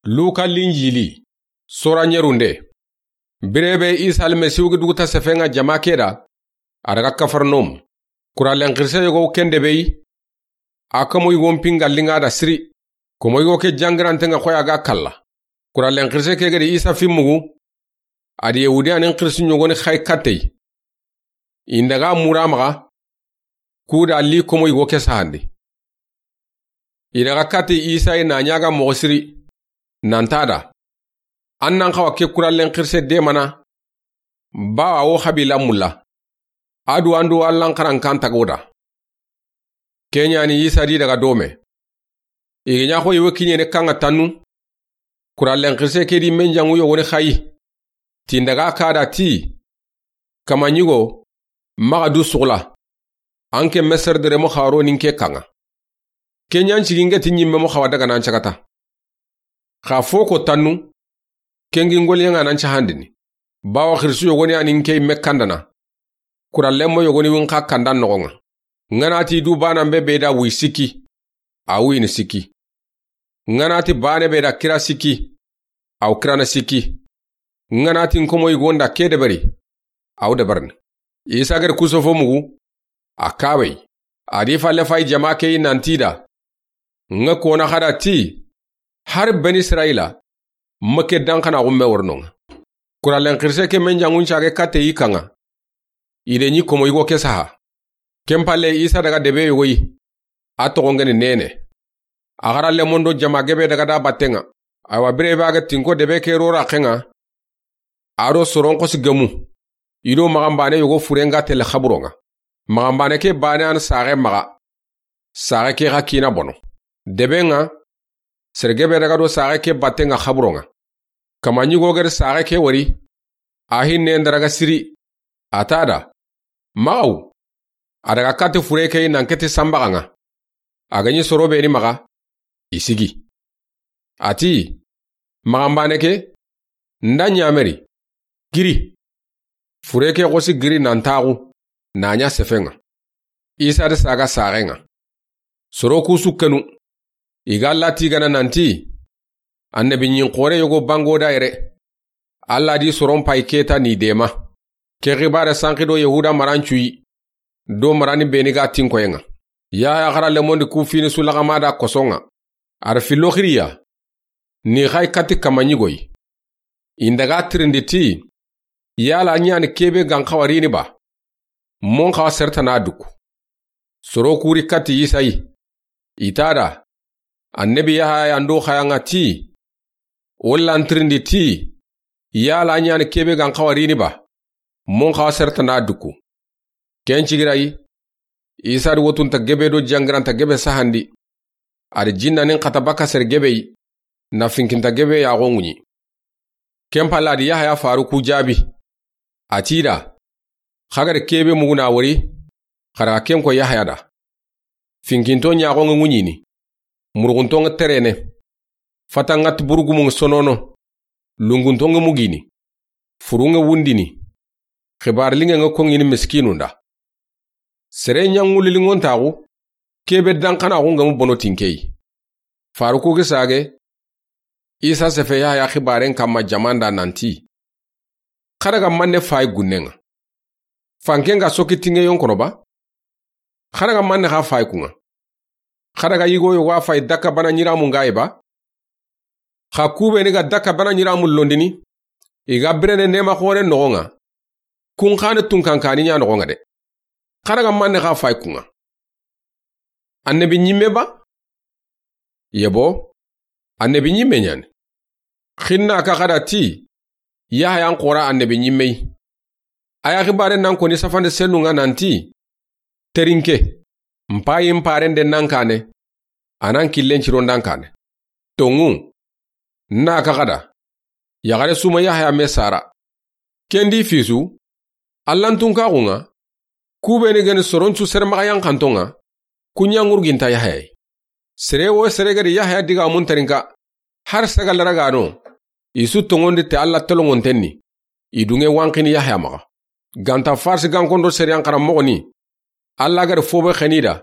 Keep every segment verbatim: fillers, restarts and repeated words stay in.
Luka Linjili, sora ɲerunde. Bire be Isa Almasihu ga duguta sefenŋa jama ke da, a daga Kafarnaum. Kurallen xirise yogo ken de be yi, a komo yigon pinga linŋa da siri. Komo yigo ke jangirantenŋa xoya ga kalla. Kurallen xirise ke ga di Isa fi mugu, a di Yahudiyanin xirisi ɲogoni xay kattey. I n daga mura maxa, ku da li komo yigo ke sahandi. I daga katti Isa yi na ɲaga moxo siri, nan ta da, an nan xawa ke kurallen xirise demana, bawa wo xabila mulla, a du an do Allan xarankan tago da. Ke ɲa ni Isa di daga dome. I ga ɲa xo i wo kiɲene kanŋa tannu, kurallen xirise ke di menjanŋu yogoni xayi. Ti n daga ka da ti, kama ɲigo, maxa du sugula, an ke Meser deremo xaro nin ke kanŋa. Ke ɲa n cigi n ga ti ɲimme mo xawa daga nan cagata. Xa fo ko tannu, ke ngi ngoliyenŋa nan cahandini. Bawa xirisu yogoni a ni n ke yimme kandana. Kurallen mo yogoni win xa kandan noxonŋa. N ga na ti du bana be be da wuyi sikki, a wuyini sikki. N ga na ti bane be da kira sikki, a wo kirana sikki. N ga na ti n komo yigon da ke deberi, a wo deberini. Isa ga da ku sofo mugu, a kawe yi. A di falle fayi jama ke yi nan ti da, n ga kona xa da ti, hari Beni Israyila ma ke danxanaxu me wori nonŋa. Kurallen xirise ke menjanŋun cage katte yi kanŋa. I de ɲi komo yigo ke saha. Ken falle Isa daga debe yogo yi, a toxo n ga ni Nene. A xarallemon do jama gebe daga da battenŋa. Awa bire be a ga tinko debe ke rora xenŋa, a do soron xosi gemu, i do maxanbane yogo furenŋa tele xaburonŋa. Maxanbane ke bane an saxe maxa, saxe ke xa kina bono. Debe ŋa, sere gebe daga do saxe ke battenŋa xaburonŋa. Kama ɲigo ga da saxe ke wori, a hinne n daraga siri, a ta da, maxaw, a daga katti fure ke yi nan keti sanbaxanŋa. A ga ɲi soro be ni maxa, i sigi. A ti, maxanbane ke, n da ɲameri, giri. Fure ke xosi giri nan taxu, na ɲa sefenŋa. Isa da saga saxenŋa. Soro ku su kenu, i ga Alla tigana nan ti, annabi ɲin xore yogo bango da yere. Alla di soron payi keta ni dema. Ke xibare sanxi do Yahuda marancuyi, do marani beni ga tinkoyenŋa. Yahaya xarallemon di ku fini su laxama da kosonŋa. A da fillo xiriya, ni xayi katti kama ɲigoyi. I n daga tirindi ti, yala ɲani kebe gan xawa rini ba? Mon xawa sertana duku. Soro kuri katti Isa yi. I ta da, annabi Yahaya yan do xayanŋa ti, o lan tirindi ti, yala ɲani kebe gan xawa rini ba? Mon xawa sertana duku. Ken cigira yi, Isa di wotunta gebe do jangiranta gebe sahandi. A di jinnanin xata baka sere gebe yi, na finkinta gebe yaxo ŋuɲi. Ken falle a di Yahaya faru ku jaabi. A ti da, xa ga da kebe muguna wori, xa daga ken ko Yahaya da. Finkinto ɲaxonŋe ŋuɲini, muruxuntonŋe terene, fatanŋa ti burugumunŋe sonono, lunguntonŋe mugini, furunŋe wundini, xibari linŋenŋe konŋini miskinun da. Sere ɲaŋulilinŋontaxu, kebe danxanaxu ŋa mu bono tinkeyi. Faruku gi sage, Isa sefe Yahaya xibaren kamma jaman da nan ti, xa daga manne fayi gunnenŋa? Fanke nga soki tinŋe yonkono ba? Xa daga manne xa fayi kunŋa? Xa daga yigo yogo a fayi dakka bana ɲiramun ga yi ba? Xa kube ni ga dakka bana ɲiramun londini, i ga birene nema xoren noxonŋa. Kun xani tunkankani ɲa noxonŋa de. Xa daga manne xa fayi kunŋa? Annabi ɲimme ba? Yebo, annabi ɲimme ɲani. Xinna ka xada ti, Yahaya n xora annabi ɲimme yi. A ya xibare nan koni safande sennunŋa nan ti, terinke, n payi n paren de nan kane, a nan killen ciron dan kane. Tonŋu, na ka xada, yaxare suma Yahaya me sara. Kendi fisu, Allantunkaxunŋa, kube ni geni soroncu sere maxa yanxantonŋa, ku ɲa ŋurginta Yahaya yi. Sere wo sere gedi Yahaya digamun terinka, har saga laragano, i su tonŋondi te Alla tolonŋonten ni, i dunŋe wanxini Yahaya maxa. Ganta Farsi gankondo sere yan xaranmoxo ni, Alla gedi fobe xeni da,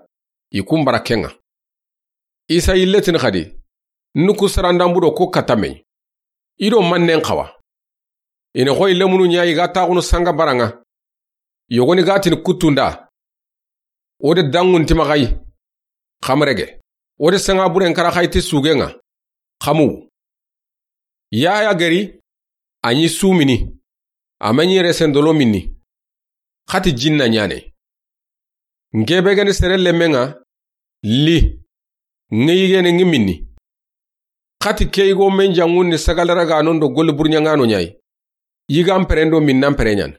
i kun bara kenŋa. Isa yille tini xadi, N ku sarandanbu do ko katame. I do mannen xawa. I na xoyi lemunu ɲa i ga taxunu sanga bara ŋa. Yogoni ga tini kuttu nda. O de dangun ti maxa yi. Xamarege. O de sanga buren kara xayi ti sugen ŋa. Xamu. Yaya geri. A ɲi sumini. A ma ɲi resendolo minni. Xati jinna ɲane. N ke be geni sere lemmen ŋa. Li. Ŋe yigene ŋi minni. Xati ke yigo men jangun ni sagalara ga non do goli burɲa ŋa no ɲayi. Yigan perendo minnan pereɲan.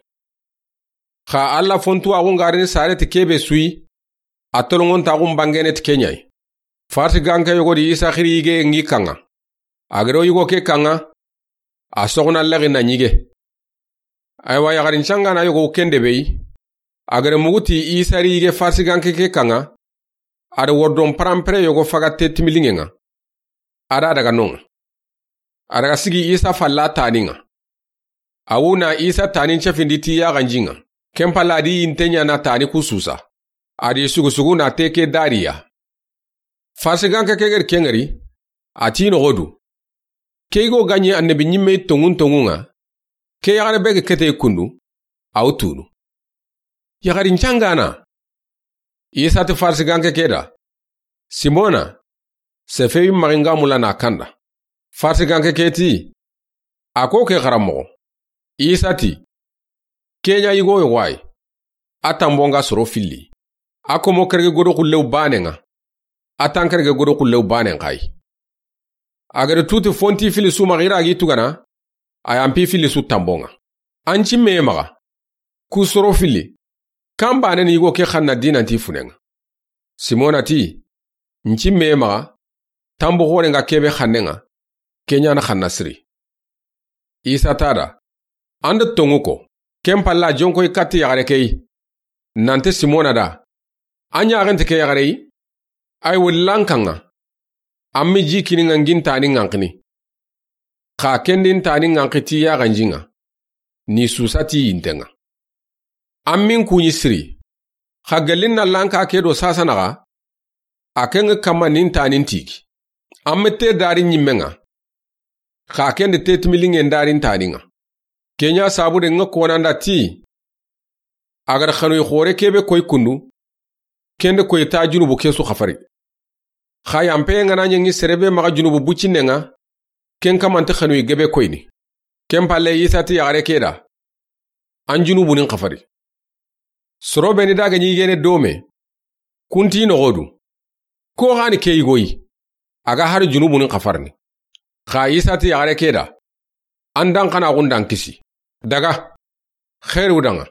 Xa Alla fontu axu ngarini sare ti kebe suyi. A tolongon taxun bangene ti ke ɲayi. Farsi ganke yogo di Isa xiri yige ŋi kaŋa. A gero yigo ke kaŋa. A soxna lexi na ɲige. Aywa yaxarin cangana yogo kende beyi. A gere muguti Isa ri yige farsi ganke ke kaŋa. A da wordon parampere yogo faga te timiliŋe ŋa. A da daga non ŋa. A daga sigi Isa falla tani ŋa. A wu na Isa tani cefindi ti yaxanji ŋa. Ken palla a di yinte ɲana tani ku susa. A di sugu sugu na te ke dariya. Farsi ganke ke geri ke ŋari. A ti noxo du. Ke yigo ga ɲi annabi ɲimme tonŋun tonŋun ŋa. Ke yaxare be ga kete kundu. A wu tunu. Yaxarin cangana. Isa ti farsi ganke ke da. Simona. Sefeyi maxi ŋa mula na kanda. Farsi ganke ke ti. A ko ke xaranmoxo. Isa ti. Ke ɲa yigo yogo ayi. A tanbon ŋa soro filli. A komo kerege godo xullew banen ŋa. A tan kerege godo xullew banen xa yi. A gere tuti fonti fili su maxa i ra gi tugana. A yampi fili su tanbon ŋa. An cimme maxa. Ku soro filli. Kan banen yigo ke xanna dinanti funen ŋa. Simona ti. N cimme maxa. Tanbu xoren ŋa kebe xannen ŋa. Ke ɲana xanna siri. Isa ta da. An da tonŋu ko. Ken palla jonkoy katti yaxare ke yi. Nante Simona da. A ɲaxente ke yaxare yi. Ay wullan kaŋa. An mi ji kini ŋa ŋin tani ŋanxini. Xa kendin tani ŋanxi ti yaxanji ŋa. Ni susa ti yinte ŋa. An min kuɲi siri. Xa gellin na lanka ke do sasanaxa. A ke ŋa kamma nin tanin tigi. An mi te dari ɲimme ŋa. Xa kende te timiliŋen darin tani ŋa. Ke ɲa sabu de ŋa konanda ti. A gada xanuyi xore kebe koy kundu. Kende koy ta junubu ke su xafari. Xa yampe ŋa na ɲeŋi serebe maxa junubu bucinne ŋa. Ken kamante xanuyi gebe koyni. Ken palle Isa ti yaxare ke da. An junubu nin xafari. Soro be ni daga ɲi gene dome. Kunti noxo du. Ko xani ke yigoyi. A ga hari junubu nin xafarni. Xa Isa ti yaxare ke da. An dan xana xundan kisi. Daga. Xeru danga.